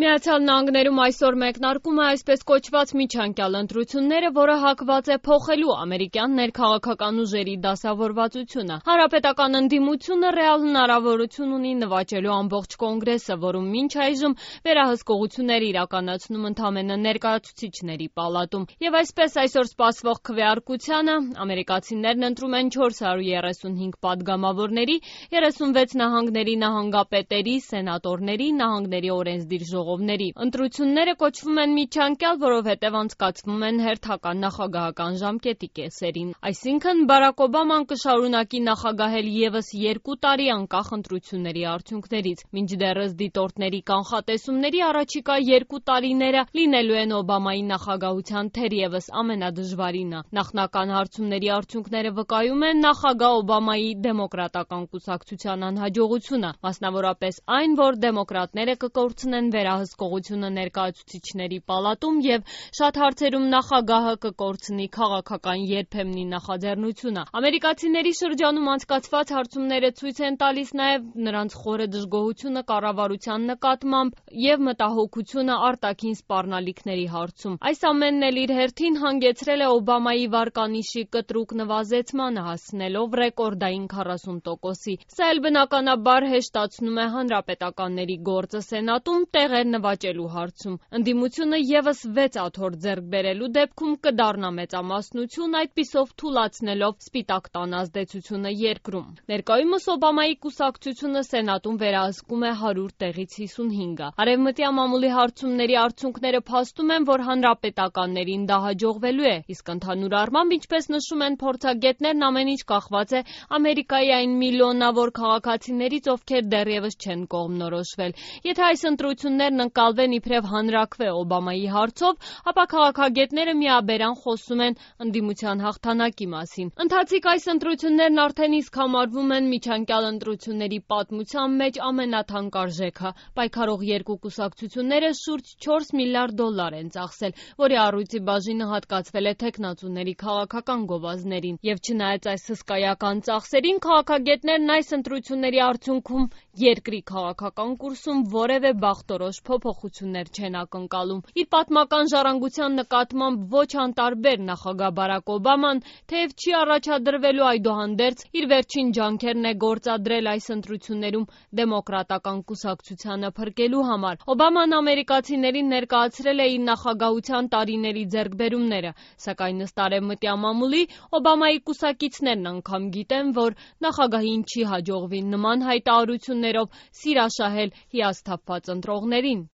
Միացյալ Նահանգներում այսօր մեկնարկում է այսպես կոչված միջանկյալ ընտրությունները, որը հակված է փոխելու ամերիկյան ներքաղաքական ուժերի դասավորվածությունը։ Հանրապետական ընդդիմությունը ռեալ հնարավորություն ունի նվաճելու ամբողջ կոնգրեսը, որում մինչ այժմ վերահսկողություններ իրականացնում ընդամենը ներկայացուցիչների պալատում։ Եվ այսպես այսօր սպասվող քվեարկությանը ամերիկացիներն ընտրում են 435 падգամավորների, 36 նահանգների նահանգապետերի, սենատորների, նահանգների օրենսդիր ժողովների։ Ընտրությունները կոչվում են միջանկյալ, որովհետև անցկացվում են հերթական նախագահական ժամկետի կեսերին։ Այսինքն Բարակ Օբաման կշարունակի նախագահել ևս 2 տարի անկախ ընտրությունների արդյունքներից։ Մինչդեռս դիտորդների կանխատեսումների առաջիկա 2 տարիները լինելու են Օբամայի նախագահության թերևս ամենադժվարինը։ Նախնական հարցումների արդյունքները վկայում են նախագահ Օբամայի դեմոկրատական կուսակցության անհաջողությունը, մասնավորապես այն, որ դեմոկրատները կկորցնեն վերահսկողությունը ներկայացուցիչների պալատում և շատ հարցերում նախագահը կկորցնի քաղաքական երբեմնի նախաձեռնությունը։ Ամերիկացիների շրջանում անցկացված հարցումները ցույց են տալիս նաև նրանց խորը դժգոհությունը կառավարության նկատմամբ և մտահոգությունը արտաքին սպառնալիքների հարցում։ Այս ամենն էլ իր հերթին հանգեցրել է Օբամայի վարկանիշի կտրուկ նվազեցմանը, հասնելով ռեկորդային 40%-ի։ Սա էլ բնականաբար հեշտացնում է հանրապետականների գործը Սենատում տեղեր նվաճելու հարցում։ Ընդդիմությունը ևս 6 աթոռ ձեռք բերելու դեպքում կդառնա մեծամասնություն, այդպիսով թուլացնելով սպիտակ տան ազդեցությունը երկրում։ Ներկայումս Օբամայի կուսակցությունը Սենատում վերահսկում է 100 տեղից 55-ը։ Արևմտյան մամուլի հարցումների արդյունքները փաստում են, որ հանրապետականներին դա հաջողվելու է, իսկ ընդհանուր առմամբ, ինչպես նշում են փորձագետներն, ամեն ինչ կախված է Ամերիկայի այն միլիոնավոր քաղաքացիներից, ովքեր դեռևս չեն կողմնորոշվել։ Եթե այս ընտրություններն ընկալվեն իբրև հանրաքվե Օբամայի հարցով, ապա քաղաքագետները միաբերան խոսում են ընդդիմության հաղթանակի մասին։ Ընթացիկ այս ընտրություններն արդեն իսկ համարվում են միջանկյալ ընտրությունների պատմության մեջ ամենաթանկարժեքը։ Պայքարող երկու կուսակցությունները շուրջ $4 միլիարդ են ծախսել, որի առույցի բաժինը հատկացվել է թեկնածուների քաղաքական գովազդներին։ Եվ չնայած այս հսկայական ծախսերին, քաղաքագետներն այս ընտրությունների արդյունքում երկրի քաղաքական կուրսում որևէ բախտորոշ փոփոխություններ չեն ակնկալում։ Իր պատմական ժառանգության նկատմամբ ոչ անտարբեր նախագահ Բարակ Օբաման, թեև չի առաջադրվելու, այդուհանդերձ իր վերջին ջանքերն է գործադրել այս ընտրություններում դեմոկրատական կուսակցությանը փրկելու համար։ Օբաման ամերիկացիներին ներկայացրել է իր նախագահության տարիների ձեռքբերումները, սակայն ըստ արևմտյան մամուլի Օբամայի կուսակիցներն անգամ գիտեն, որ նախագահին չի հաջողվի նման հայտարարություններով սիրաշահել հիասթափված ընտրողներին։